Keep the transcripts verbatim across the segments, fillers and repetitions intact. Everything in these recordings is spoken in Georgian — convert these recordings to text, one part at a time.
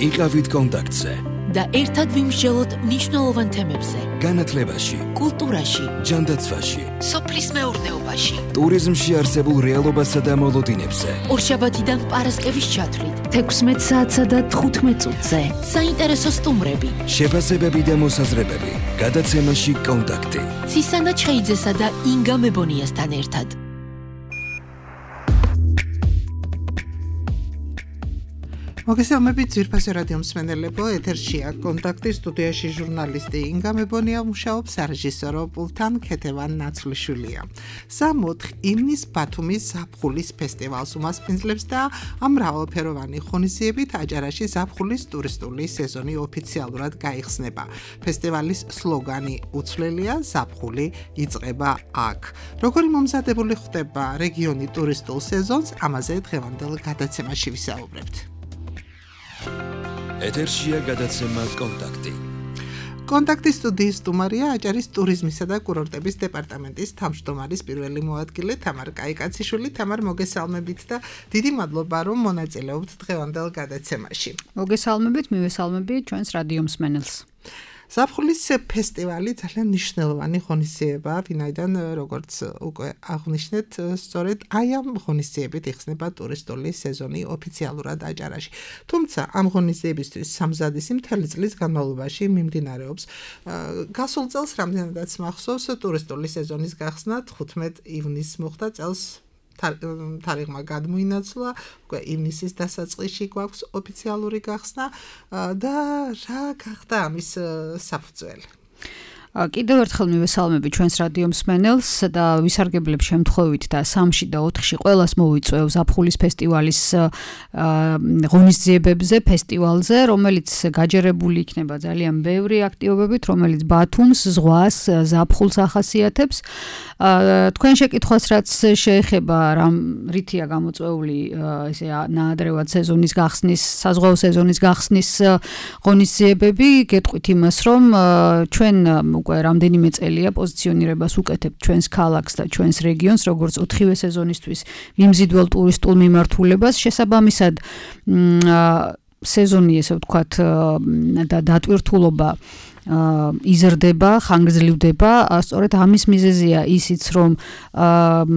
იყავით კონტაქტზე და ერთად ვიმსჯელოთ მნიშვნელოვან თემებზე. განათლებაში, კულტურაში, ჯანდაცვაში, სოფლის მეურნეობაში, ტურიზმში არსებულ რეალობასა და მოლოდინებზე. ორშაბათიდან პარასკევის ჩათვლით, თექვსმეტ საათსა და თხუთმეტ წუთზე. საინტერესო სტუმრები, შეფასებები და მოსაზრებები. გადაცემაში კონტაქტი. ცისანა ჩხეიძესა და ინგა მებონიასთან ერთად. მოგესალმებით ძვირფასო რადიო მსმენელებო, ეთერშია კონტაქტი, სტუდიაში ჟურნალისტი ინგა მებონია მუშაობს, რეჟისორო პულთან ქეთევან ნაცვლიშვილია. სამოთხ ივნის ბათუმის ზაფხულის ფესტივალს უმასპინძლებს და ამ მრავალფეროვანი ღონისძიებით აჭარაში ზაფხულის ტურისტული სეზონი ოფიციალურად გაიხსნება. ფესტივალის სლოგანი უცვლელია, ზაფხული იწყება აქ. როგორი მომზადებული ხდება რეგიონი ტურისტულ სეზონს, ამაზე დღევანდელ გადაცემაში ვისაუბრებთ. ეთერშია გადაცემა კონტაქტი. კონტაქტის სტუდიის სტუმარია აჭარის ტურიზმისა და კურორტების დეპარტამენტის თავმჯდომარის პირველი მოადგილე თამარ კაიკაციშვილი. თამარ, მოგესალმებით და დიდი მადლობა, რომ მონაწილეობთ დღევანდელ გადაცემაში. მოგესალმებით, მივესალმებით ჩვენს რადიო მსმენელს. ზაფხულის ფესტივალი ძალიან მნიშვნელოვანი ღონისძიებაა, ვინაიდან როგორც უკვე აღნიშნეთ, სწორედ აი ამ ღონისძიებით იხსნება ტურისტული სეზონი ოფიციალურად აჭარაში. თუმცა ამ ღონისძიებისთვის სამზადისი მთელი წლის განმავლობაში მიმდინარეობს. გასულ წელს რამდენადაც მახსოვს, ტურისტული სეზონის გახსნა თხუთმეტ ივნისს მოხდა, წელს თარიღმა გადმოინაცვლა, უკვე ივნისის დასაწყისში გვაქვს ოფიციალური გახსნა და რა გახდა ამის საფუძველი? კიდევ ერთხელ მივესალმები ჩვენს რადიო მსმენელს და ვისარგებლებ შემთხვევით და სამში და ოთხში ყველას მოვიწვევ ზაფხულის ფესტივალის ღონისძიებებზე, ფესტივალზე, რომელიც გაჯერებული იქნება ძალიან ბევრი აქტივობებით, რომელიც ბათუმს, ზღვას, ზაფხულს ახასიათებს. თქვენ შეკითხვას რაც შეეხება რამ რითია გამოწვეული ესე ნაადრევად სეზონის გახსნის, საზღვაო სეზონის გახსნის ღონისძიებები, გეტყვით იმას, რომ ჩვენ უკვე რამდენიმე წელია პოზიციონირებას უკეთებთ ჩვენს ქალაქს და ჩვენს რეგიონს, როგორც ოთხივე სეზონისთვის მიმზიდველ ტურისტულ მიმართულებას. შესაბამისად, სეზონი, ესე ვთქვათ, და დატვირთულობა იზრდება, ხანგრძლივდება. სწორედ ამის მიზეზია ისიც, რომ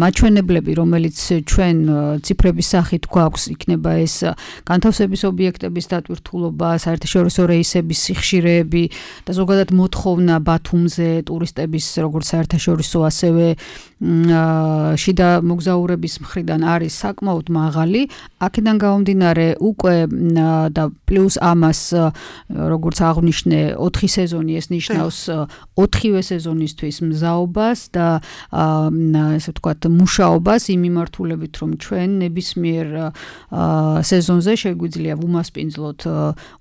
მაჩვენებლები, რომელიც ჩვენ ციფრების სახით გვაქვს, იქნება ეს განთავსების ობიექტების დატვირთულობა, საერთაშორისო რეისების სიხშირეები და ზოგადად მოთხოვნა ბათუმზე ტურისტების, როგორც საერთაშორისო, ასევე შიდა მოგზაურების მხრიდან არის საკმაოდ მაღალი. აქედან გამომდინარე, უკვე და პლუს ამას, როგორც აღვნიშნე, ოთხი სეზონი ეს ნიშნავს ოთხივე სეზონისთვის მზაობას და ესე ვთქვათ მუშაობას იმ მიმართულებით, რომ ჩვენ ნებისმიერ სეზონზე შეგვიძლია ვუმასპინძლოთ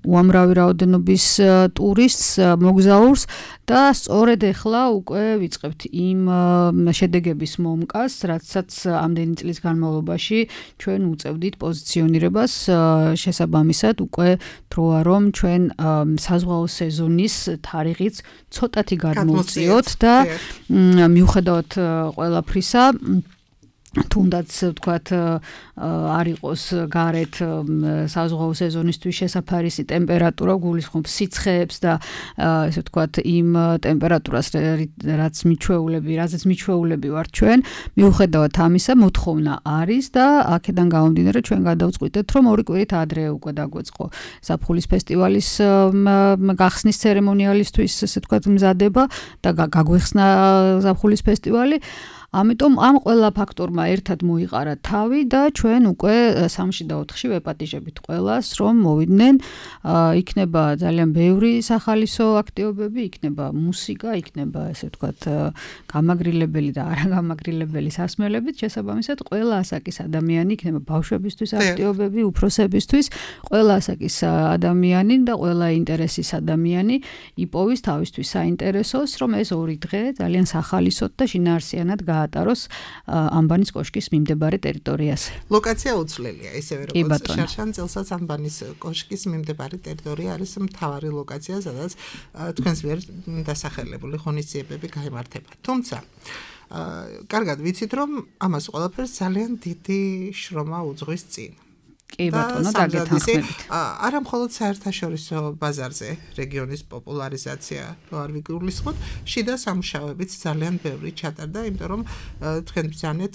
უამრავი რაოდენობის ტურისტს, მოგზაურს და სწორედ ეხლა უკვე ვიწყებთ იმ შედეგების მომკას, რაცაც ამდენი წლის განმავლობაში ჩვენ უწევდით პოზიციონირებას. შესაბამისად, უკვე დროა რომ ჩვენ საზღვაო სეზონის თარიღიც ცოტათი გადმოვწიოთ და მიუხედავად ყველაფრისა, თუნდაც ვთქვათ არ იყოს გარეთ საზღვაო სეზონისთვის შესაფარისი ტემპერატურა, გულისხმობ სიცხეებს და ესე ვთქვათ იმ ტემპერატურას, რაც მიჩვეულები, რაზეც მიჩვეულები ვართ ჩვენ, მიუხედავად ამისა, მოთხოვნა არის და აქედან გამომდინარე ჩვენ გადავწყვიტეთ, რომ ორი კვირით ადრე უკვე დაგვეწყო ზაფხულის ფესტივალის გახსნის ცერემონიალისთვის, ესე ვთქვათ, მზადება და გაგვეხსნა ზაფხულის ფესტივალი. ამიტომ ამ ყველა ფაქტორმა ერთად მოიყარა თავი და ჩვენ უკვე სამში და ოთხში ვეპატიჟებით ყველას, რომ მოვიდნენ. იქნება ძალიან ბევრი სახალისო აქტივობები, იქნება მუსიკა, იქნება ესე ვთქვათ გამაგრილებელი და არაგამაგრილებელი სასმელებით. შესაბამისად, ყველა ასაკის ადამიანი, იქნება ბავშვებისთვის აქტივობები, უფროსებისთვის, ყველა ასაკის ადამიანი და ყველა ინტერესის ადამიანი იპოვის თავისთვის საინტერესოს, რომ ეს ორი დღე ძალიან სახალისოდ და შინაარსიანად გაატაროს ამბანის კოშკის მიმდებარე ტერიტორიაზე. ლოკაცია უცვლელია, ისევე როგორც შარშან წელსაც ამბანის კოშკის მიმდებარე ტერიტორია არის მთავარი ლოკაცია, სადაც თქვენს მიერ დასახელებული ღონისძიებები გაიმართება. თუმცა, კარგად ვიცით, რომ ამას ყველაფერს ძალიან დიდი შრომა უძღვის წინ. კი ბატონო, დაგეთანხმებით. არა მხოლოდ საერთაშორისო ბაზარზე რეგიონის პოპულარიზაცია არ ვიგულისხმოთ, შიდა სამუშაოებიც ძალიან ბევრი ჩატარდა, იმიტომ რომ თქვენ ბრძანეთ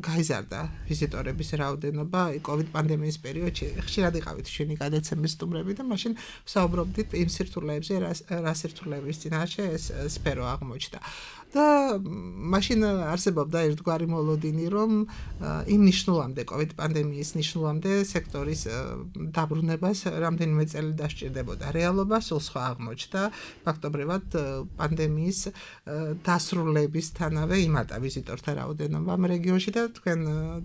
გაიზარდა ვიზიტორების რაოდენობა COVID პანდემიის პერიოდში. ხშირად იყავით ჩვენი გადაცემის სტუმრები და მაშინ საუბრობდით იმ სირთულეებზე, რა სირთულეების წინაშე ეს სფერო აღმოჩნდა. და მაშინ არსებობდა ერთგვარი მოლოდინი, რომ იმ ნიშნულამდე COVID პანდემიის ნიშნულამდე სექტორის დაბრუნებას რამდენიმე წელი დასჭირდებოდა. რეალობა სულ სხვა აღმოჩნდა. ფაქტობრივად პანდემიის დასრულებისთანავე იმატა ვიზიტორთა რაოდენობა ამ რეგიონში და თქვენ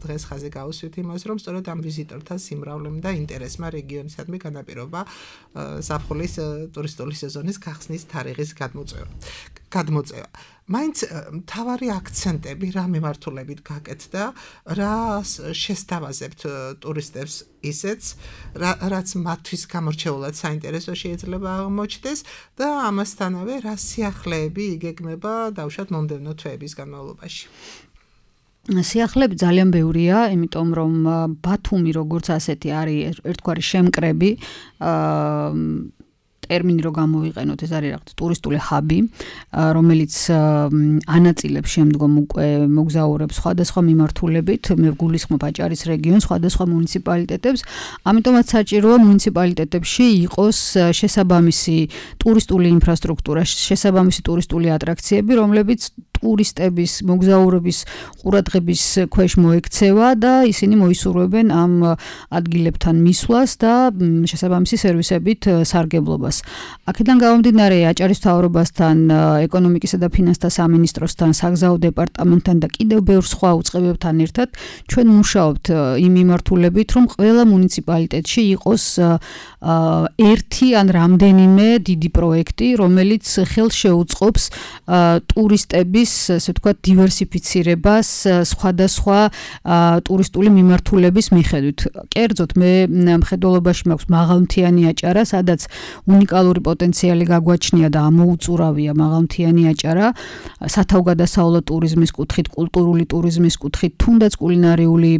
დღეს ხაზი გაუსვით იმას, რომ სწორედ ამ ვიზიტორთა სიმრავლემ და ინტერესმა რეგიონისადმი განაპირობა ზაფხულის ტურისტული სეზონის გახსნის თარიღის გადმოწევა. გადმოწევა. მაინც მთავარი აქცენტები რა მიმართულებით გაკეთდა, რა შესთავაზებთ ტურისტებს ისეც, რაც მათთვის გამორჩეულად საინტერესო შეიძლება აღმოჩნდეს და ამასთანავე რა სიახლეები იგეგმება დავუშვათ მომდევნო თვეების განმავლობაში. სიახლეები ძალიან ბევრია, იმიტომ რომ ბათუმი როგორც ასეთი არის ერთგვარი შემკრები, აა ტერმინი რო გამოვიყენოთ, ეს არის რაღაც ტურისტული ჰაბი, რომელიც ანაწილებს შემდგომ უკვე მოგზაურებს სხვადასხვა მიმართულებით, მე გულისხმობ აჭარის რეგიონს, სხვადასხვა მუნიციპალიტეტებს, ამიტომაც საჭიროა მუნიციპალიტეტებში იყოს შესაბამისი ტურისტული ინფრასტრუქტურა, შესაბამისი ტურისტული ატრაქციები, რომლებიც ტურისტების მოგზაურების ყურადღების ქვეშ მოექცევა და ისინი მოისურვებენ ამ ადგილებთან მისვლას და შესაბამისი სერვისებით სარგებლობას. აქედან გამომდინარე აჭარის მთავრობასთან, ეკონომიკისა და ფინანსთა სამინისტროსთან, საგზაო დეპარტამენტთან და კიდევ ბევრ სხვა უწყებებთან ერთად ჩვენ მუშაობთ იმ მიმართულებით, რომ ყველა მუნიციპალიტეტში იყოს ერთი ან რამდენიმე დიდი პროექტი, რომელიც ხელს შეუწყობს ტურისტების, ასე ვთქვათ, დივერსიფიცირებას სხვადასხვა ტურისტული მიმართულების მიხედვით. კერძოდ მე მხედველობაში მაქვს მაღალმთიანი აჭარა, სადაც უნიკალური პოტენციალი გაგვაჩნია და ამოუწურავია მაღალმთიანი აჭარა, სათავგადასავლო ტურიზმის კუთხით, კულტურული ტურიზმის კუთხით, თუნდაც კულინარიული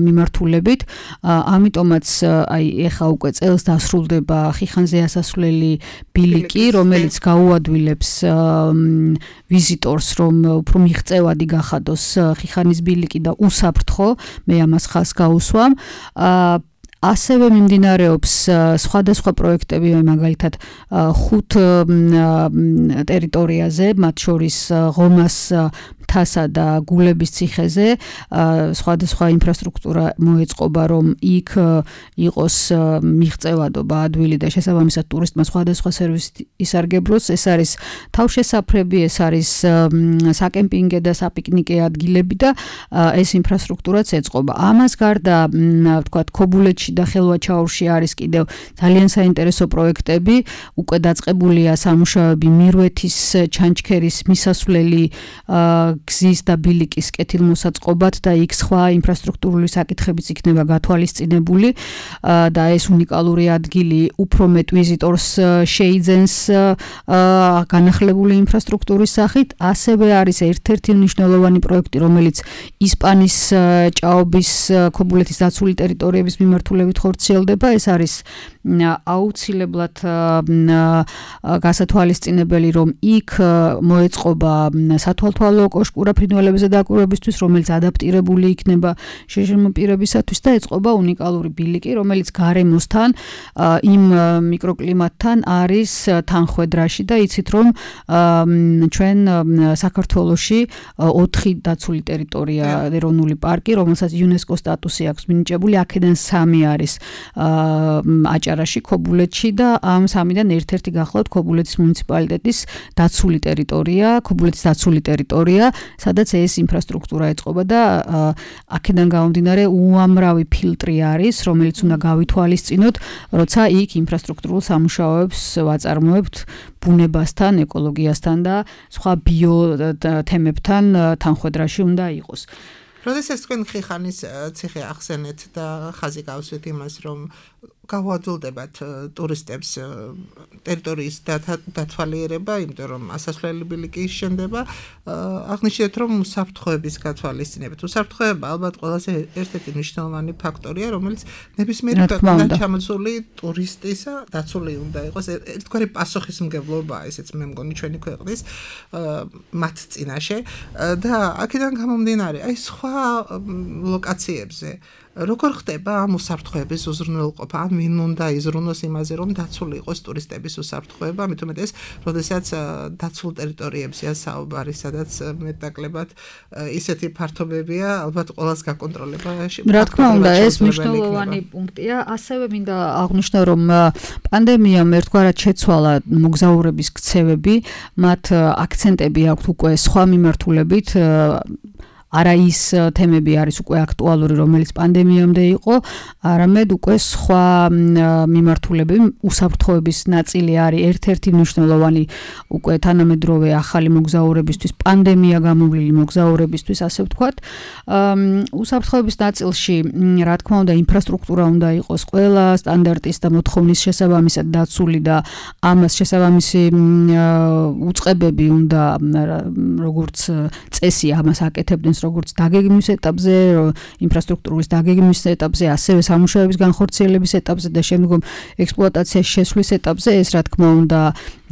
მიმართულებით. ამიტომაც აი ეხა უკვე წელს დასრულდება ხიხანზე ასასვლელი ბილიკი, რომელიც გაუადვილებს ვიზიტორს, რომ უფრო მიღწევადი გახადოს ხიხანის ბილიკი და უსაფრთხო, მე ამას ხაზს გაუსვამ. ასევე მიმდინარეობს სხვადასხვა პროექტები, მაგალითად ხუთ ტერიტორიაზე, მათ შორის ღომას მთასა და გულების ციხეზე, სხვადასხვა ინფრასტრუქტურა მოეწყობა, რომ იქ იყოს მიღწევადობა ადვილი და შესაბამისად ტურისტმა სხვადასხვა სერვისი ისარგებლოს. ეს არის თავშესაფრები, ეს არის საკემპინგე და საპიკნიკე ადგილები და ეს ინფრასტრუქტურაც ეწყობა. ამას გარდა, ვთქვათ, ქობულეთში და ხელვაჩაურში არის კიდევ ძალიან საინტერესო პროექტები, უკვე დაწყებულია სამუშაოები მირვეთის ჩანჩქერის მისასვლელი გზის და ბილიკის კეთილმოსაწყობად და იქ სხვა ინფრასტრუქტურული საკითხებიც იქნება გათვალისწინებული და ეს უნიკალური ადგილი უფრო მეტ ვიზიტორს შეიძენს განახლებული ინფრასტრუქტურის სახით. ასევე არის ერთ-ერთი მნიშვნელოვანი პროექტი, რომელიც ისპანის ჭაობის ქობულეთის დაცული ტერიტორიების მიმართულებით ხორციელდება. ეს არის აუცილებლად გასათვალისწინებელი, რომ იქ მოეწყობა სათვალთვალო კოშკურა ფრინველებზე დაკვირვებისთვის, რომელიც ადაპტირებული იქნება შეშლილ პირებისათვის და ეწყობა უნიკალური ბილიკი, რომელიც გარემოსთან, იმ მიკროკლიმატთან არის თანხვედრაში და იცით, რომ ჩვენ საქართველოში ოთხი დაცული ტერიტორია ეროვნული პარკი, რომელსაც იუნესკოს სტატუსი აქვს მინიჭებული, აქედან სამი არის აჭარაში, ქობულეთში და ამ სამიდან ერთ-ერთი გახლავთ ქობულეთის მუნიციპალიტეტის დაცული ტერიტორია, ქობულეთის დაცული ტერიტორია, სადაც ეს ინფრასტრუქტურა ეწყობა და აქედან გამომდინარე უამრავი ფილტრი არის, რომელიც უნდა გავითვალისწინოთ, როცა იქ ინფრასტრუქტურულ სამუშაოებს ვაწარმოებთ ბუნებასთან, ეკოლოგიასთან და სხვა ბიო თემებთან თანხვედრაში უნდა იყოს. როდესაც თქვენ ხიხანის ციხე ახსენეთ და ხაზი გავსვით იმას, რომ გავადვილდებათ ტურისტებს ტერიტორიის დათვალიერება, იმიტომ რომ ასასვლელებელი კი შენდება, აღნიშნეთ რომ უსაფრთხოების გათვალისწინებით. უსაფრთხოება ალბათ ყველაზე ერთ-ერთი მნიშვნელოვანი ფაქტორია, რომელიც ნებისმიერი ქვეყნიდან ჩამოსული ტურისტისა დაცული უნდა იყოს. ერთგვარი პასუხისმგებლობაა, ესეც მე მგონი ჩვენი ქვეყნის მათ წინაშე და აქედან გამომდინარე, აი სხვა ლოკაციებზე როგორ ხდება ამ უსაფრთხოების უზრუნველყოფა? ან ვინ უნდა იზრუნოს იმაზე, რომ დაცული იყოს ტურისტების უსაფრთხოება, მით უმეტეს, როდესაც დაცულ ტერიტორიებზეა საუბარი, სადაც მეტნაკლებად ისეთი ფართობებია, ალბათ ყველას გაკონტროლება. რა თქმა უნდა, ეს მნიშვნელოვანი პუნქტია. ასევე მინდა აღვნიშნო, რომ პანდემიამ ერთგვარად შეცვალა მოგზაურების ქცევები, მათ აქცენტები აქვთ უკვე სხვა მიმართულებით. არა ის თემები არის უკვე აქტუალური, რომელიც პანდემიამდე იყო, არამედ უკვე სხვა მიმართულებები, უსაფრთხოების ნაწილი არის ერთ-ერთი მნიშვნელოვანი უკვე თანამედროვე ახალი მოგზაურებისთვის, პანდემია გამოვლილი მოგზაურებისთვის, ასე ვთქვათ. უსაფრთხოების ნაწილში, რა თქმა უნდა, ინფრასტრუქტურა უნდა იყოს ყველა სტანდარტის და მოთხოვნის შესაბამისად დაცული და ამას შესაბამისი უწყებები უნდა როგორც წესი ამას აკეთებდნენ როგორც დაგეგმვის ეტაპზე, ინფრასტრუქტურის დაგეგმვის ეტაპზე, ასევე სამუშაოების განხორციელების ეტაპზე და შემდგომ ექსპლუატაციაში შესვლის ეტაპზე, ეს რა თქმა უნდა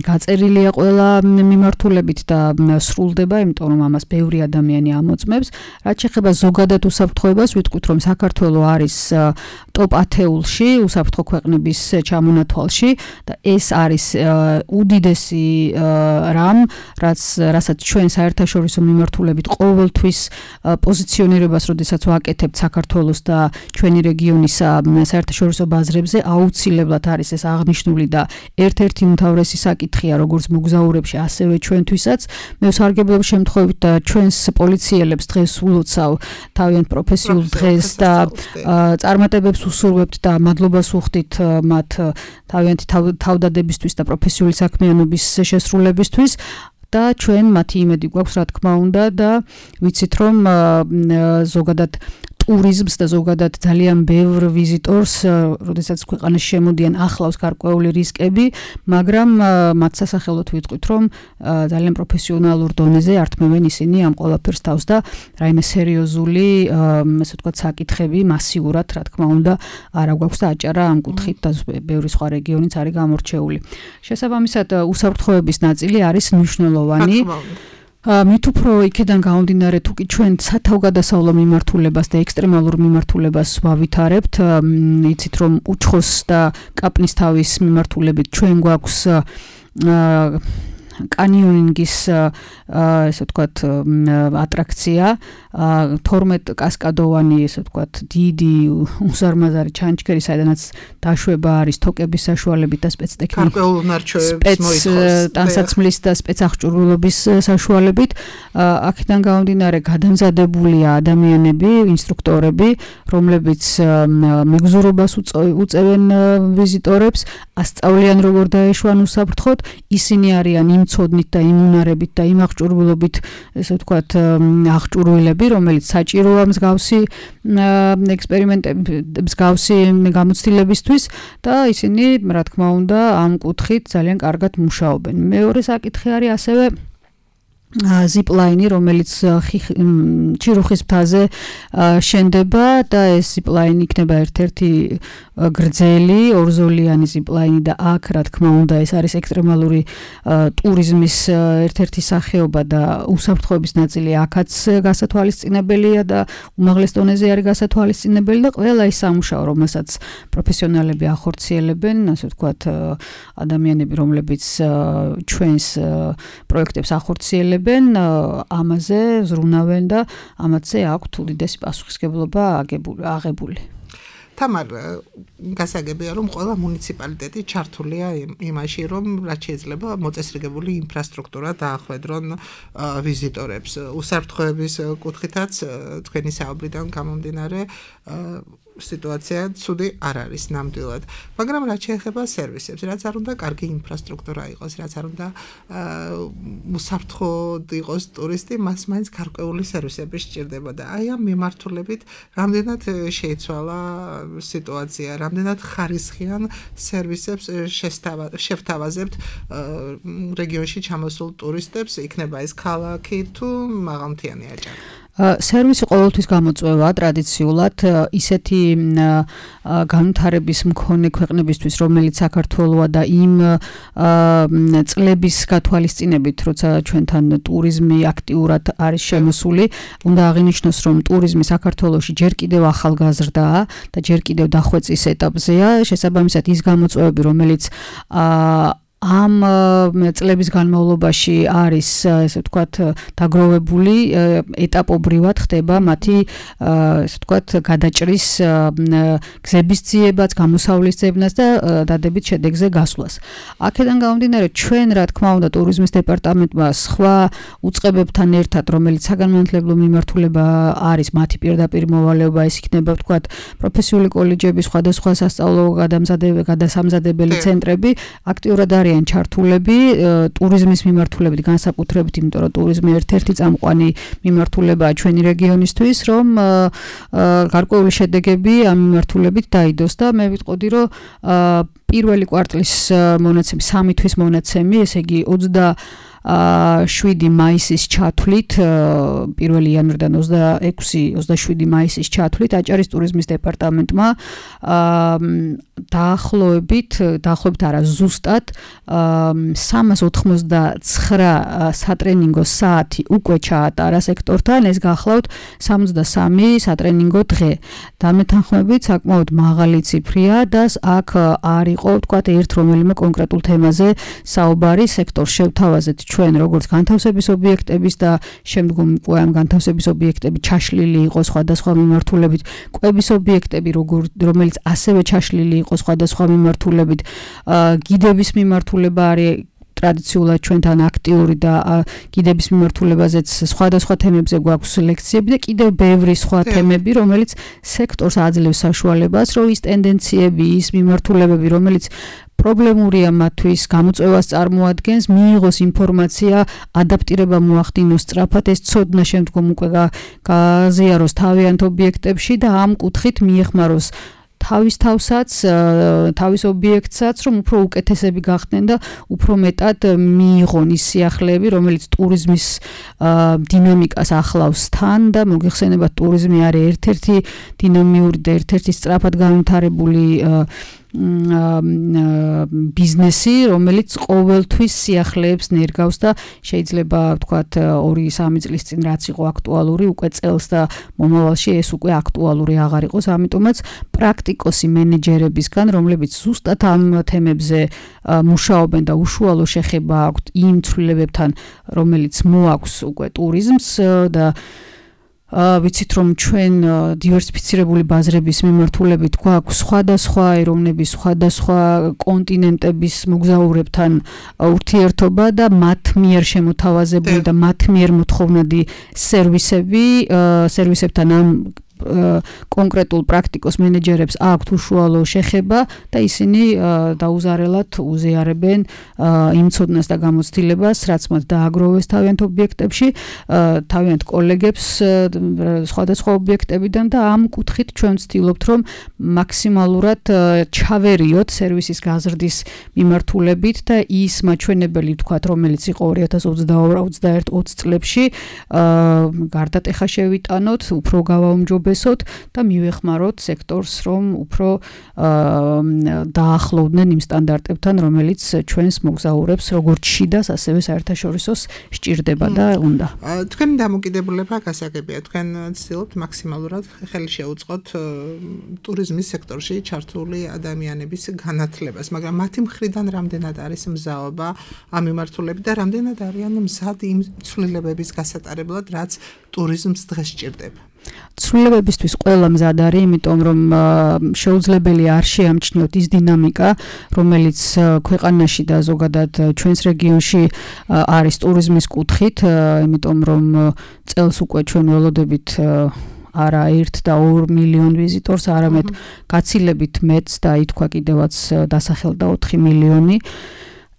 გაწერილია ყველა მიმართულებით და სრულდება, იმიტომ რომ ამას ბევრი ადამიანი ამოწმებს. რაც შეეხება ზოგადად უსაფრთხოებას, ვიტყვით რომ საქართველო არის ტოპ ათეულში უსაფრთხო ქვეყნების ჩამონათვალში და ეს არის უდიდესი რამ, რაც რასაც ჩვენ საერთაშორისო მიმართულებით ყოველთვის პოზიციონირებას, როდესაც ვაკეთებთ საქართველოს და ჩვენი რეგიონის საერთაშორისო ბაზრებზე, აუცილებლად არის ეს აღნიშნული და ერთ-ერთი უმთავრესი საკითხია, როგორც მოგზაურებში, ასევე ჩვენთვისაც. მე ვსარგებლობ შემთხვევით და ჩვენს პოლიციელებს დღეს ულოცავ თავიანთ პროფესიულ დღეს და წარმატებებს უსურვებთ და მადლობას ვუხდით მათ თავიანთი თავდადებისთვის და პროფესიული საქმიანობის შესრულებისთვის. და ჩვენ მათი იმედი გვაქვს, რა თქმა უნდა და ვიცით რომ ზოგადად ტურიზმს და ზოგადად ძალიან ბევრ ვიზიტორს, როდესაც ქვეყანაში შემოდიან, ახლავს გარკვეული რისკები, მაგრამ მათ სასახელოდ ვიტყვით, რომ ძალიან პროფესიონალურ დონეზე ართმევენ ისინი ამ ყველაფერს თავს და რაიმე სერიოზული, ასე ვთქვათ, საკითხები მასიურად, რა თქმა უნდა, არა გვაქვს და აჭარა ამ კუთხით და ბევრი სხვა რეგიონიც არის გამორჩეული. შესაბამისად, უსაფრთხოების ნაწილი არის მნიშვნელოვანი. მით უფრო იქედან გამომდინარე, თუ კი ჩვენ სათავგადასავლო მიმართულებას და ექსტრემალურ მიმართულებას ვავითარებთ, იცით რომ უჩხოს და კაპნის თავის მიმართულებით ჩვენ გვაქვს კანიონინგის ესე ვთქვათ ატრაქცია, თორმეტ კასკადოვანი, ესე ვთქვათ, დიდი უზარმაზარი ჩანჩქერი, საიდანაც დაშვება არის თოკების საშუალებით და სპეცტექნიკის გარკვეულ ნარჩევებს მოითხოვს ტანსაცმლის და სპეცაღჭურვილობის საშუალებით. აქედან გამომდინარე, გადამზადებულია ადამიანები, ინსტრუქტორები, რომლებიც მეგზურობას უწევენ ვიზიტორებს, ასწავლიან როგორ დაეშვან უსაფრთხოდ, ისინი არიან იმ ცოდნით და იმუნარებით და იმ აღჭურვილობით, ესე ვთქვათ, აღჭურვილები, რომელიც საჭიროა მსგავსი ექსპერიმენტების, მსგავსი გამოცდილებისთვის და ისინი, რა თქმა უნდა, ამ კუთხით ძალიან კარგად მუშაობენ. მეორე საკითხი არის ასევე ზიპლაინი, რომელიც ჩირუხის მთაზე შენდება და ეს ზიპლაინი იქნება ერთ-ერთი გრძელი ორზოლიანი ზიპლაინი და აქ, რა თქმა უნდა, ეს არის ექსტრემალური ტურიზმის ერთ-ერთი სახეობა და უსაფრთხოების ნაწილი აქაც გასათვალისწინებელია და უმაღლეს დონეზე არის გასათვალისწინებელი და ყველა ის სამუშაო, რომელსაც პროფესიონალები ახორციელებენ, ასე ვთქვათ, ადამიანები, რომლებიც ჩვენს პროექტებს ახორციელებენ, ამაზე ზრუნავენ და ამათზე აქვთ უდიდესი პასუხისმგებლობა აღებული. თამარ, გასაგებია, რომ ყველა მუნიციპალიტეტი ჩართულია იმაში, რომ რაც შეიძლება მოწესრიგებული ინფრასტრუქტურა დაახვედრონ ვიზიტორებს. უსაფრთხოების კუთხითაც თქვენი საუბრიდან გამომდინარე, სიტუაცია ცუდი არ არის ნამდვილად. მაგრამ რაც შეეხება სერვისებს, რაც არ უნდა კარგი ინფრასტრუქტურა იყოს, რაც არ უნდა უსაფრთხოდ იყოს ტურისტი, მას მაინც გარკვეული სერვისები სჭირდება და აი ამ მიმართულებით რამდენად შეიცვალა სიტუაცია, რამდენად ხარისხიან სერვისებს შევთავაზებთ რეგიონში ჩამოსულ ტურისტებს, იქნება ეს ქალაქი თუ მაღალმთიანი აჭარი. სერვისი ყოველთვის გამოწვევა ტრადიციულად ისეთი განვითარების მქონე ქვეყნებისთვის, რომელიც საქართველოა და იმ წლების გათვალისწინებით, როცა ჩვენთან ტურიზმი აქტიურად არის შემოსული, უნდა აღინიშნოს, რომ ტურიზმი საქართველოში ჯერ კიდევ ახალგაზრდაა და ჯერ კიდევ დახვეწის ეტაპზეა, შესაბამისად ის გამოწვევები, რომელიც ამ წლების განმავლობაში არის, ესე ვთქვათ, დაგროვებული, ეტაპობრივად ხდება მათი, ესე ვთქვათ, გადაჭრის გზების ძიებაც, გამოსავლის ძებნას და დადებით შედეგზე გასვლას. აქედან გამომდინარე, ჩვენ, რა თქმა უნდა, ტურიზმის დეპარტამენტმა სხვა უწყებებთან ერთად, რომელიც საგანმანათლებლო მიმართულება არის, მათი პირდაპირ მოვალეობა, ეს იქნება, ვთქვათ, პროფესიული კოლეჯები, სხვადასხვა სასწავლო გადასამზადებელი ცენტრები, აქტიურად არის ჩართულები ტურიზმის მიმართულებით განსაკუთრებით, იმიტომ რომ ტურიზმი ერთ-ერთი წამყვანი მიმართულებაა ჩვენი რეგიონისთვის, რომ გარკვეული შედეგები ამ მიმართულებით დაიდოს და მე ვიტყოდი, რომ პირველი კვარტლის მონაცემი, სამი თვის მონაცემი, ესე იგი ოცდაშვიდი მაისის ჩათვლით, პირველი იანვრიდან ოცდაექვსი მაისის ჩათვლით აჭარის ტურიზმის დეპარტამენტმა დაახლოებით, დაახლოებით არა ზუსტად სამას ოთხმოცდაცხრა სატრენინგო საათი უკვე ჩაატარა სექტორთან, ეს გახლავთ სამოცდასამი სატრენინგო დღე. დამეთანხმებით საკმაოდ მაღალი ციფრია და აქ არ იყო, ვთქვათ, ერთ რომელიმე კონკრეტულ თემაზე საუბარი, სექტორს შევთავაზეთ ჩვენ როგორც განთავსების ობიექტების და შემდგომ უკვე ამ განთავსების ობიექტები ჩაშლილი იყო სხვადასხვა მიმართულებით, კვების ობიექტები, რომელიც ასევე ჩაშლილი იყო სხვადასხვა მიმართულებით, გიდების მიმართულება არის ტრადიციულად ჩვენთან აქტიური და გიდების მიმართულებაზეც სხვადასხვა თემებზე გვაქვს ლექციები და კიდევ ბევრი სხვა თემები, რომელიც სექტორს აძლევს საშუალებას, რომ ის ტენდენციები, ის მიმართულებები, რომელიც პრობლემურია მათთვის, გამოწვევას წარმოადგენს, მიიღოს ინფორმაცია, ადაპტირება მოახდინოს სწრაფად, ეს ცოდნა შემდგომ უკვე გაზიაროს თავიანთ ობიექტებში და ამ კუთხით მიეხმაროს თავის თავსაც, თავის ობიექტსაც, რომ უფრო უკეთესები გახდნენ და უფრო მეტად მიიღონ ის სიახლეები, რომელიც ტურიზმის დინამიკას ახლავს თან და მოგეხსენებათ, ტურიზმი არის ერთ-ერთი დინამიური და ერთ-ერთი სწრაფად განვითარებული ბიზნესი, რომელიც ყოველთვის სიახლეებს ნერგავს და შეიძლება ვთქვათ ორი სამი წლის წინ რაც იყო აქტუალური, უკვე წელს და მომავალში ეს უკვე აქტუალური აღარ იყოს, ამიტომაც პრაქტიკოსი მენეჯერებისგან, რომლებიც ზუსტად ამ თემებზე მუშაობენ და უშუალო შეხება აქვთ იმ ცვლილებებთან, რომელიც მოაქვს უკვე ტურიზმს და ვიცით რომ ჩვენ დივერსიფიცირებული ბაზრების მიმართულებით გვაქვს სხვადასხვა ეროვნების, სხვადასხვა კონტინენტების მოგზაურებთან ურთიერთობა და მათ მიერ შემოთავაზებული და მათ მიერ მოთხოვნადი სერვისები, სერვისებთან ამ კონკრეტულ პრაქტიკოს მენეჯერებს აქვთ უშუალო შეხება და ისინი დაუზარელად უზიარებენ იმ ცოდნას და გამოცდილებას, რაც მათ დააგროვეს თავიანთ ობიექტებში, თავიანთ კოლეგებს სხვადასხვა ობიექტებიდან და ამ კუთხით ჩვენ ვცდილობთ, რომ მაქსიმალურად ჩავერიოთ სერვისის გაზრდის მიმართულებით და ის მაჩვენებელი, ვთქვათ, რომელიც იყო ორი ათას ოცდაორი ოცდაერთი ოცი წლებში, გარდატეხა შევიტანოთ, უფრო გავაუმჯობესოთ და მივეხმაროთ სექტორს, რომ უფრო დაახლოვდნენ იმ სტანდარტებთან, რომელიც ჩვენს მოგზაურებს როგორც შიდას, ასევე საერთაშორისოს სჭირდება და უნდა. თქვენი დამოკიდებულება გასაგებია. თქვენ ცდილობთ მაქსიმალურად ხელი შეუწყოთ ტურიზმის სექტორში ჩართული ადამიანების განათლებას, მაგრამ მათი მხრიდან რამდენად არის მზაობა ამ მიმართულებით და რამდენად არიან მზად იმ ცვლილებების გასატარებლად, რაც ტურიზმს დღეს სჭირდება. ცვლილებებისთვის ყველა მზად არის, იმიტომ რომ შეუძლებელი არ შეამჩნიოთ ის დინამიკა, რომელიც ქვეყანაში და ზოგადად ჩვენს რეგიონში არის ტურიზმის კუთხით, იმიტომ რომ წელს უკვე ჩვენ ველოდებით არა ერთ და ორ მილიონ ვიზიტორს, არამედ გაცილებით მეც და ითქვა კიდევაც დასახელდა ოთხი მილიონი.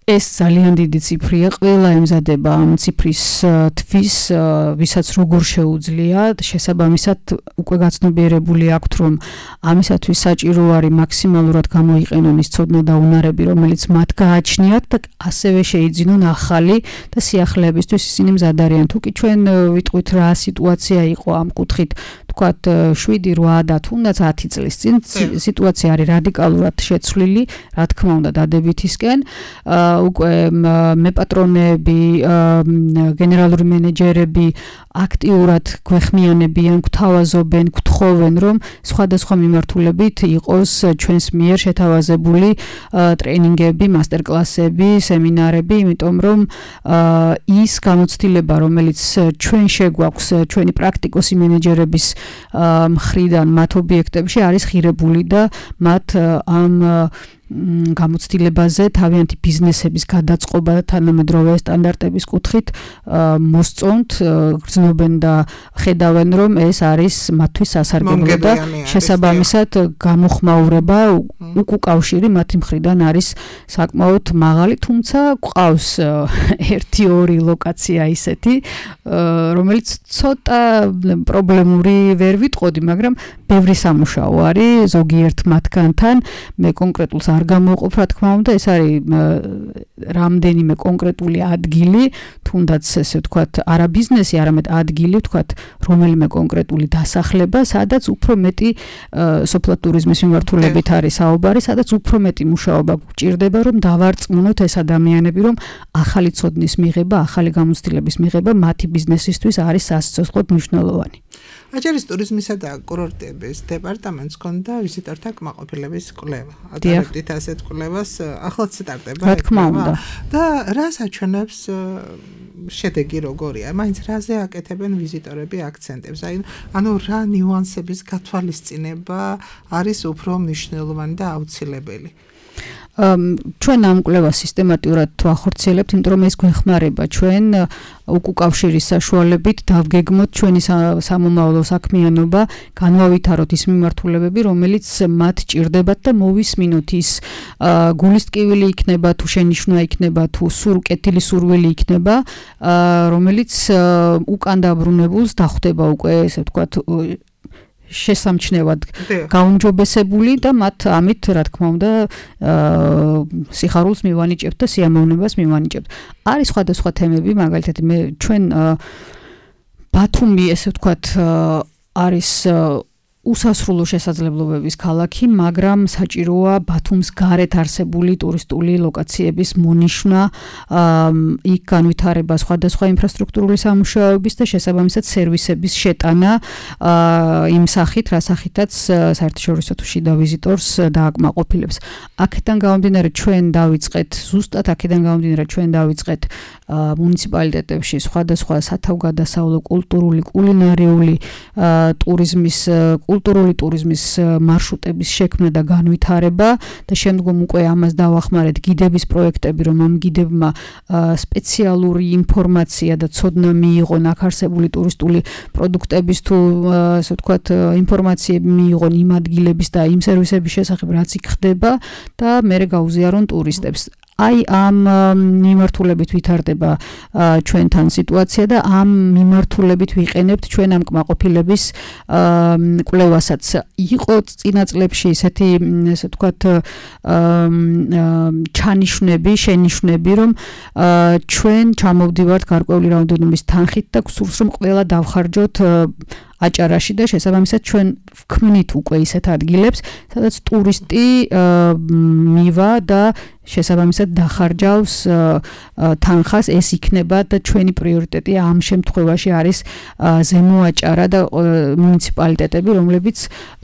ეს ძალიან დიდი ციფრია, ყველა ემზადება ამ ციფრის თვის, ვისაც როგორ შეუძლია, შესაბამისად უკვე გაცნობიერებული აქვთ, რომ ამისათვის საჭირო არის მაქსიმალურად გამოიყენონ ის ცოდნა და უნარები, რომელიც მათ გააჩნიათ და ასევე შეიძინონ ახალი და სიახლეებისთვის ისინი მზად არიან. თუ კი ჩვენ ვიტყვით რა სიტუაცია იყო ამ კუთხით, თქვათ შვიდი რვა და თუნდაც ათი წლის წინ სიტუაცია არის რადიკალურად შეცვლილი, რა თქმა უნდა დადებითისკენ. უკვე მეპატრონეები, გენერალური მენეჯერები აქტიურად გვეხმიანებიან, გვთავაზობენ, გთხოვენ, რომ სხვადასხვა მიმართულებით იყოს ჩვენს მიერ შეთავაზებული ტრეინინგები, მასტერკლასები, სემინარები, იმიტომ რომ ის გამოცდილება, რომელიც ჩვენ შეგვაქვს, ჩვენი პრაქტიკოსი მენეჯერების მხრიდან მათ ობიექტებში არის ღირებული და მათ ამ გამოცდილებაზე თავიანთი ბიზნესების გადაწყობა და თანამედროვე სტანდარტების კუთხით მოსწონთ, გრძნობენ და ხედავენ, რომ ეს არის მათთვის სასარგებლო და შესაბამისად გამოხმაურება უკუკავშირი მათი მხრიდან არის საკმაოდ მაღალი, თუმცა გვყავს ერთი ორი ლოკაცია ისეთი, რომელიც ცოტა პრობლემური ვერ ვიტყოდი, მაგრამ ბევრი სამუშაო არის ზოგიერთ მათგანთან, მე კონკრეტულს არ გამოყოფ, რა თქმა უნდა, ეს არის რამდენიმე კონკრეტული ადგილი, თუნდაც ესე ვთქვათ, არა ბიზნესი, არამედ ადგილი, ვთქვათ, რომელიმე კონკრეტული დასახლება, სადაც უფრო მეტი სოფლად ტურიზმის მიმართულებით არის საუბარი, სადაც უფრო მეტი მუშაობა გვჭირდება, რომ დავარწმუნოთ ეს ადამიანები, რომ ახალი ცოდნის მიღება, ახალი გამოცდილების მიღება მათი ბიზნესისთვის არის სასიცოცხლოდ მნიშვნელოვანი. აჭარის ტურიზმისა და კურორტების დეპარტამენტს ჰქონდა ვიზიტორთა კმაყოფილების კვლევა. ატარებდით ასეთ კვლევას, ახლაც სტარტება. რა თქმა უნდა. და რას აჩვენებს შედეგი როგორია? მაინც რაზე აკეთებენ ვიზიტორები აქცენტებს? აი, ანუ რა ნიუანსების გათვალისწინება არის უფრო მნიშვნელოვანი და აუცილებელი? ჩვენ ამ კვლევას სისტემატურად ვახორციელებთ, იმიტომ რომ ეს გვეხმარება ჩვენ უკუკავშირის საშუალებით დავგეგმოთ ჩვენი სამომავლო საქმიანობა, განვავითაროთ ის მიმართულებები, რომელიც მათ ჭირდებათ და მოვისმინოთ ის გულის ტკივილი იქნება, თუ შენიშვნა იქნება, თუ კეთილი სურვილი იქნება, რომელიც უკან დაბრუნებულს დახვდება უკვე, ესე ვთქვათ, შესამჩნევად გაუმჯობესებული და მათ ამით, რა თქმა უნდა, სიხარულს მივანიჭებთ და სიამოვნებას მივანიჭებთ. არის სხვადასხვა თემები, მაგალითად, მე ჩვენ ბათუმი, ესე ვთქვათ, არის უსასრულო შესაძლებლობების ქალაქი, მაგრამ საჭიროა ბათუმს გარეთ არსებული ტურისტული ლოკაციების მონიშნა, იქ განვითარება სხვადასხვა ინფრასტრუქტურული სამუშაოების და შესაბამისად სერვისების შეტანა იმ სახით, რა სახითაც საერთაშორისო თუ შიდა ვიზიტორს დააკმაყოფილებს. აქედან გამომდინარე ჩვენ დავიწყეთ, ზუსტად აქედან გამომდინარე ჩვენ დავიწყეთ მუნიციპალიტეტებში სხვადასხვა სათავგადასავლო კულტურული, კულინარიული ტურიზმის კულტურული ტურიზმის მარშრუტების შექმნა და განვითარება და შემდგომ უკვე ამას დავახმარეთ გიდების პროექტები, რომ ამ გიდებმა სპეციალური ინფორმაცია და ცოდნა მიიღონ აქ არსებული ტურისტული პროდუქტების თუ ასე ვთქვათ ინფორმაციები მიიღონ იმ ადგილების და იმ სერვისების შესახებ, რაც იქ ხდება და მერე გაუზიარონ ტურისტებს. აი ამ მიმართულებით ვითარდება ჩვენთან სიტუაცია და ამ მიმართულებით ვიყენებთ ჩვენ ამ კმაყოფილების კვლევასაც. იყო წინა წლებში ესეთი, ესე ვთქვათ, ჩანიშვნები, შენიშვნები, რომ ჩვენ ჩამოვდივართ გარკვეული რაოდენობის თანხით და გსურს რომ ყველა დავხარჯოთ აჭარაში და შესაბამისად ჩვენ ვქმნით უკვე ისეთ ადგილებს, სადაც ტურისტი მივა და შესაბამისად დახარჯავს თანხას, ეს იქნება და ჩვენი პრიორიტეტი ამ შემთხვევაში არის ზემო აჭარა და მუნიციპალიტეტები, რომლებიც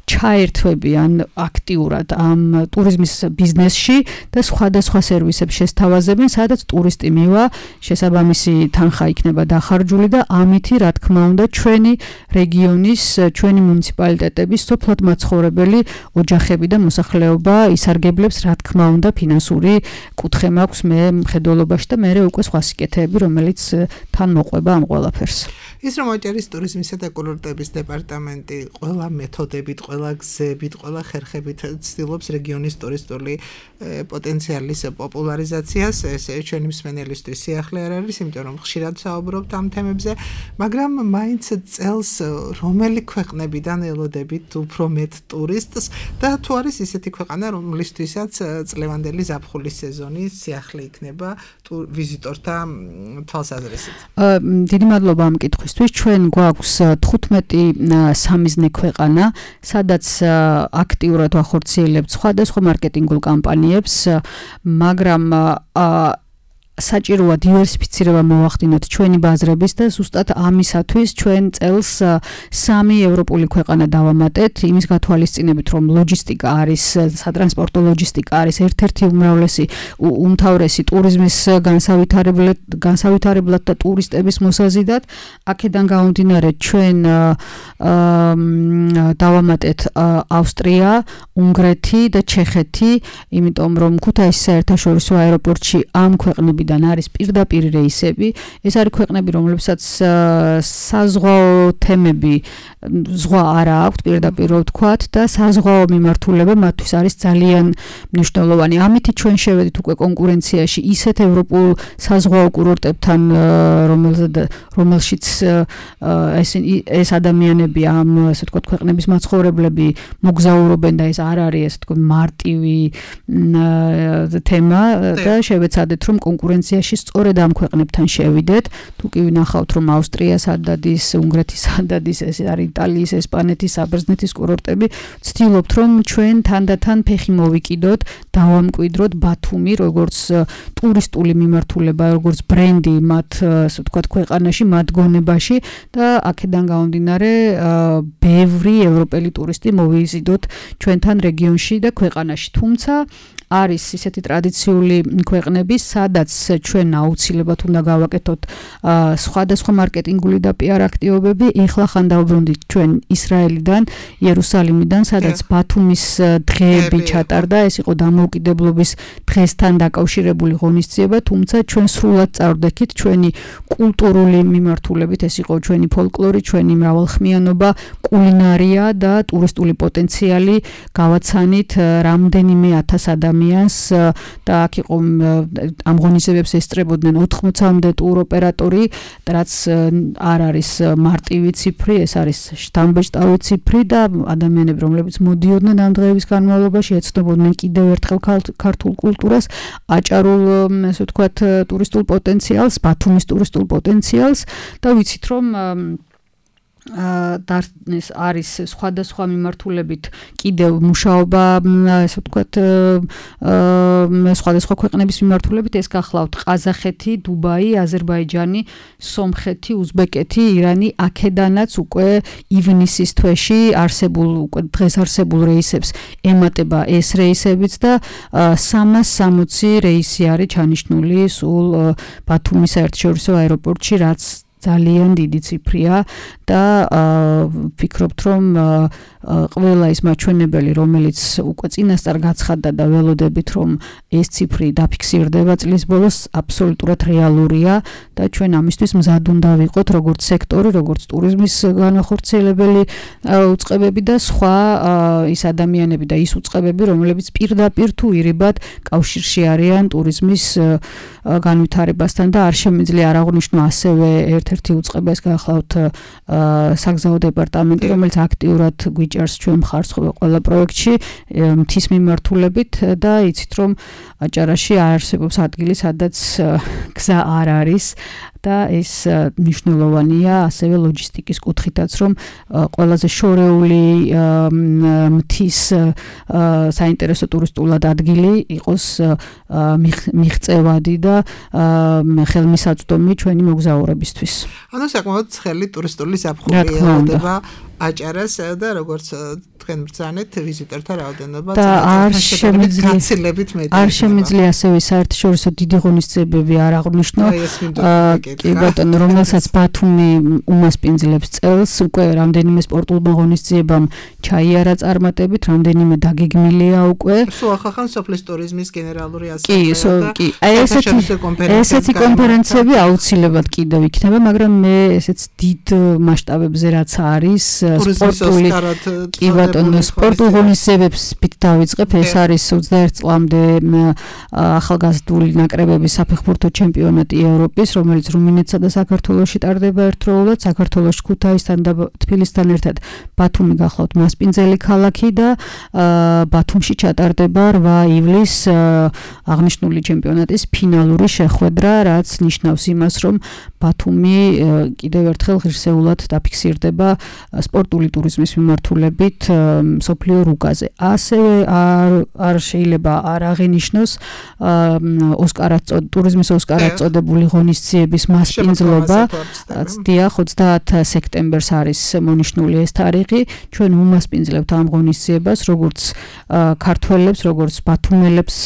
ჩაერთვებიან აქტიურად ამ ტურიზმის ბიზნესში და სხვადასხვა სერვისებს შესთავაზებენ, სადაც ტურისტი მივა, შესაბამისი თანხა იქნება დახარჯული და ამითი, რა თქმა უნდა, ჩვენი რეგიონის, ჩვენი მუნიციპალიტეტების სოფლად მაცხოვრებელი ოჯახები და მოსახლეობა ისარგებლებს, რა თქმა უნდა, ფინანსური კუთხე მაქვს მე მხედველობაში და მე უკვე სხვა სიკეთეები, რომელიც თან მოყვება ამ ყველაფერს. ის რომ აჭარის ტურიზმისა და კურორტების დეპარტამენტი ყველა მეთოდებით, ყველა გზებით, ყველა ხერხებით ცდილობს რეგიონის ტურისტული პოტენციალის პოპულარიზაციას, ეს ჩვენი მსმენელისთვის სიახლე არ არის, იმიტომ რომ ხშირად საუბრობთ ამ თემებზე, მაგრამ მაინც წელს რომელი ქვეყნებიდან ელოდებით უფრო მეტ ტურისტს და თუ არის ისეთი ქვეყანა, რომლისთვისაც წლევანდელი ზაფხულის სეზონი სიახლე იქნება ვიზიტორთა თვალსაზრისით. დიდი მადლობა ამ კითხვისთვის. ჩვენ გვაქვს თხუთმეტი სამიზნე ქვეყანა, სადაც აქტიურად ვახორციელებთ სხვადასხვა მარკეტინგულ კამპანიებს, მაგრამ საჭიროა დივერსიფიცირება მოვახდინოთ ჩვენი ბაზრების და ზუსტად ამისათვის ჩვენ წელს სამი ევროპული ქვეყანა დავამატეთ, იმის გათვალისწინებით, რომ ლოჯისტიკა არის, სატრანსპორტო ლოჯისტიკა არის ერთ-ერთი უმრავლესი უმთავრესი ტურიზმის განსავითარებლად, განსავითარებლად და ტურისტების მოსაზიდად. აქედან გამომდინარე ჩვენ დავამატეთ ავსტრია, უნგრეთი და ჩეხეთი, იმიტომ რომ ქუთაისის საერთაშორისო აეროპორტში ამ ქვეყნებიდან არის პირდაპირ რეისები. ეს არის ქვეყნები, რომლებსაც საზღვაო თემები ზღვა არა აქვთ, პირდაპირ ვთქვათ და საზღვაო მიმართულება მათთვის არის ძალიან მნიშვნელოვანი. ამით ჩვენ შევედით უკვე კონკურენციაში ისეთ ევროპულ საზღვაო კურორტებთან, რომელშიც ეს ეს ადამიანები ამ ასე ვთქვათ ქვეყნების მაცხოვრებლები მოგზაურობენ და ეს არ არის ასე ვთქვათ მარტივი თემა და შევეცადეთ რომ კონკურენციაში სწორედ ამ ქვეყნებთან შევიდეთ. თუ კი ვნახავთ რომ ავსტრია სადადის, უნგრეთის სადადის, ეს არის იტალიის, ესპანეთის, საბერძნეთის კურორტები, ვცდილობთ რომ ჩვენ თანდათან ფეხი მოვიკიდოთ, დავამკვიდროთ ბათუმი როგორც ტურისტული მიმართულება, როგორც ბრენდი მათ ასე ვთქვათ ქვეყანაში, მათ გონებაში და აქედან გამომდინარე ბევრი ევროპელი ტურისტი მოვიზიდოთ ჩვენთან რეგიონში და ქვეყანაში. თუმცა არის ისეთი ტრადიციული ქვეყნები, სადაც ჩვენ აუცილებლად უნდა გავაკეთოთ სხვადასხვა მარკეტინგული და პიარ აქტივობები. ეხლა ხან დავბრუნდით ჩვენ ისრაელიდან, იერუსალიმიდან, სადაც ბათუმის დღეები ჩატარდა. ეს იყო დამოუკიდებლობის დღესთან დაკავშირებული ღონისძიება, თუმცა ჩვენ სრულად წავდექით ჩვენი კულტურული მიმართულებით. ეს იყო ჩვენი ფოლკლორი, ჩვენი მრავალხმიანობა, კულინარია და ტურისტული პოტენციალი. გავაცანით რამდენიმე ათას ადამიანს და აქ იყო ამ ღონისძიებებს ესწრებოდნენ ოთხმოცამდე ტუროპერატორი, რაც არ არის მარტივი ციფრი, ეს არის შთამბეჭდავი ციფრი და ადამიანები, რომლებიც მოდიოდნენ ამ დღეების განმავლობაში, ეცნობოდნენ კიდევ ერთხელ ქართულ კულტურას, აჭარულ, ასე ვთქვათ, ტურისტულ პოტენციალს, ბათუმის ტურისტულ პოტენციალს და ვიცით რომ და ეს არის სხვადასხვა მიმართულებით კიდევ მუშაობა, ასე ვთქვათ, სხვადასხვა ქვეყნების მიმართულებით, ეს გახლავთ ყაზახეთი, დუბაი, აზერბაიჯანი, სომხეთი, უზბეკეთი, ირანი, აქედანაც უკვე ივნისის თვეში არსებულ, უკვე დღეს არსებულ რეისებს ემატება ეს რეისებიც და სამას სამოცი რეისი არის ჩანიშნული სულ ბათუმის საერთაშორისო აეროპორტში, რაც ძალიან დიდი ციფრია და ვფიქრობთ რომ ყველა ის მაჩვენებელი, რომელიც უკვე წინასწარ გაცხადდა და ველოდებით რომ ეს ციფრი დაფიქსირდება წლის ბოლოს, აბსოლუტურად რეალურია და ჩვენ ამისთვის მზად უნდა ვიყოთ, როგორც სექტორი, როგორც ტურიზმის განახორციელებელი უწყებები და სხვა ის ადამიანები და ის უწყებები, რომლებიც პირდაპირ თუ ირიბად კავშირში არიან ტურიზმის განვითარებასთან და არ შემიძლია არ აღვნიშნო ასევე ერთ-ერთი უწყება, ეს გახლავთ საგზაო დეპარტამენტი, რომელიც აქტიურად გვიჭერს ჩვენ მხარს ყველა პროექტში მთის მიმართულებით და იცით რომ აჭარაში არსებობს ადგილი, სადაც გზა არ არის და ეს მნიშვნელოვანია ასევე ლოჯისტიკის კუთხითაც, რომ ყველაზე შორეული მთის საინტერესო ტურისტულად ადგილი იყოს მიღწევადი და ხელმისაწვდომი ჩვენი მოგზაურებისთვის. ანუ საკმაოდ ცხელი ტურისტული ზაფხული ელოდება აჭარას და როგორც თქვენ ბრძანეთ ვიზიტორთა რაოდენობა და არ შემიძლია გაცილებით მეტი. არ შემიძლია ასევე საერთაშორისო დიდი ღონისძიებები არ აღვნიშნო. კი ბატონო, რომელსაც ბათუმი უმასპინძლებს წელს, უკვე რამდენიმე სპორტულ ღონისძიებამ ჩაიარა წარმატებით, რამდენიმე დაგეგმილია უკვე. სულ ახალ სოფლის ტურიზმის გენერალური ასამბლეა და კი, აი ესეთი ესეთი კონფერენციები აუცილებლად კიდევ იქნება, მაგრამ მე ესეც დიდ მასშტაბებზე რაც არის სპორტული კი ბატონო, სპორტულ ღონისძიებებს ვით დავიწყებ, ეს არის ოცდაერთ წლამდე ახალგაზრდული ნაკრებების საფეხბურთო ჩემპიონატი ევროპის, რომელიც რუმინეთსა და საქართველოში ტარდება ერთდროულად, საქართველოში ქუთაისთან და თბილისთან ერთად ბათუმი გახლავთ მასპინძელი ქალაქი და ბათუმში ჩატარდება რვა ივლისს აღნიშნული ჩემპიონატის ფინალური შეხვედრა, რაც ნიშნავს იმას, რომ ბათუმი კიდევ ერთხელ ღირსეულად დაფიქსირდება სპორტული ტურიზმის მიმართულებით მსოფლიო რუკაზე. ასევე არ არ შეიძლება არ აღინიშნოს ოსკარად ტურიზმის ოსკარად წოდებული ღონისძიების მასპინძლობა. დიახ, ოცდაათი სექტემბერს არის მონიშნული ეს თარიღი. ჩვენ უმასპინძლებთ ამ ღონისძიებას, როგორც ქართველებს, როგორც ბათუმელებს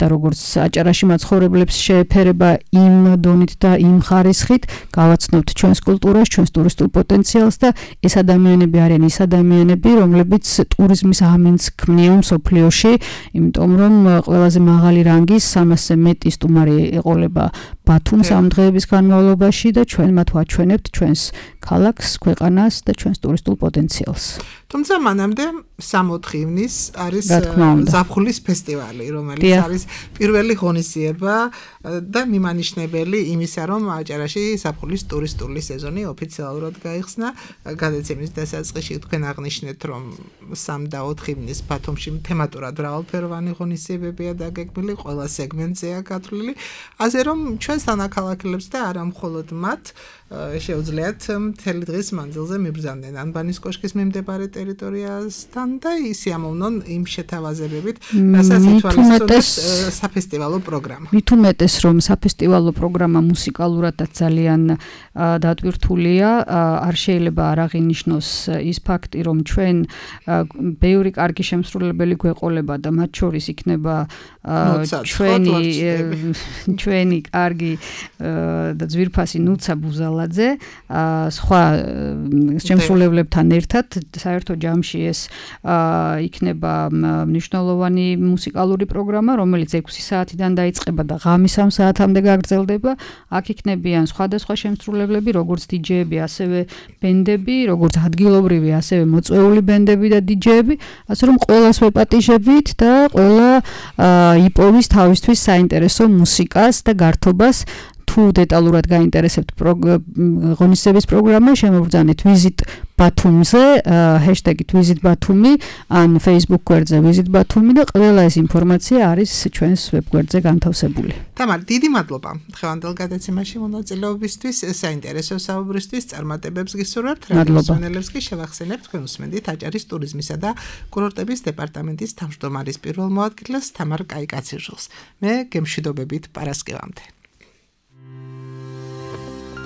და როგორც აჭარაში მაცხოვრებლებს შეეფერება იმ დონით და იმ ხარისხით, გავაცნობთ ჩვენს კულტურას, ჩვენს ტურისტულ პოტენციალს და ეს ადამიანები არიან ის ადამიანები, რომლებიც ტურიზმის ამინდს ქმნიან მსოფლიოში, იმიტომ რომ ყველაზე მაღალი რანგის სამასზე მეტი სტუმარი ეყოლება ბათუმს ამ დღეების განმავლობაში და ჩვენ მათ ვაჩვენებთ ჩვენს ქალაქს, ქვეყანას და ჩვენს ტურისტულ პოტენციალს. თუმცა მანამდე სამოთხი ივნის არის ზაფხულის ფესტივალი, რომელიც არის პირველი ღონისძიება და მიმანიშნებელი იმისა, რომ აჭარაში ზაფხულის ტურისტული სეზონი ოფიციალურად გაიხსნა. გადაცემის დასაწყისში თქვენ აღნიშნეთ, რომ სამ და ოთხი ივნის ბათუმში თემატურად მრავალფეროვანი ღონისძიებებია დაგეგმილი, ყველა სეგმენტზეა გათვლილი, ასე რომ ჩვენს თანაქალაქელებს და არა მხოლოდ მათ შეუძლიათ მთელი დღის მანძილზე მიბრძანდნენ ანბანის კოშკის მიმდებარე ტერიტორიასთან და ისიამოვნონ იმ შეთავაზებებით, რასაც ითვალისწინებს საფესტივალო პროგრამა. მით უმეტეს, რომ საფესტივალო პროგრამა მუსიკალურადაც ძალიან დატვირთულია, არ შეიძლება არ აღინიშნოს ის ფაქტი, რომ ჩვენ ბევრი კარგი შემსრულებელი გვეყოლება და მათ შორის იქნება ჩვენი ჩვენი კარგი და ძვირფასი ნუცა ბუზალაძე, სხვა შემსრულებლებთან ერთად საერთო ჯამში ეს იქნება მნიშვნელოვანი მუსიკალური პროგრამა, რომელიც ექვსი საათიდან დაიწყება და ღამის სამ საათამდე გაგრძელდება. აქ იქნებიან სხვადასხვა შემსრულებლები, როგორც დიჯეები, ასევე ბენდები, როგორც ადგილობრივი, ასევე მოწვეული ბენდები და დიჯეები, ასე რომ ყველას ვეპატიჟებით და ყველა იპოვის თავისთვის საინტერესო მუსიკას და გართობას. თუ დეტალურად გაინტერესებთ ღონისძიების პროგრამა, შემოგბრძანეთ ვიზიტ ბათუმზე, ჰეშტეგით ვიზიტ ბათუმი ან Facebook გვერდზე ვიზიტ ბათუმი და ყველა ეს ინფორმაცია არის ჩვენს ვებგვერდზე განთავსებული. თამარ, დიდი მადლობა დღევანდელ გადაცემაში მონაწილეობისთვის, საინტერესო საუბრისთვის, წარმატებებს გისურვებთ. რადიოსმენელებს კი შევახსენებთ, თქვენ უსმენთ აჭარის ტურიზმისა და კურორტების დეპარტამენტის თავმჯდომარის პირველ მოადგილეს თამარ კაიკაციჟილს. მე გემშვიდობებით პარასკევამდე.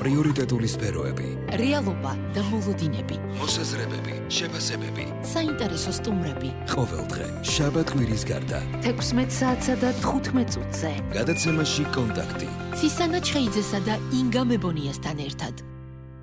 პრიორიტეტული სფეროები, რეალობა და მოლოდინები, მოსაზრებები, შეფასებები, საინტერესო სტუმრები. ყოველდღე შაბათ-კვირის გარდა თექვსმეტ საათსა და თხუთმეტ წუთზე გადაცემაში კონტაქტი ცისანა ჩხეიძესა და ინგა მებონიასთან ერთად.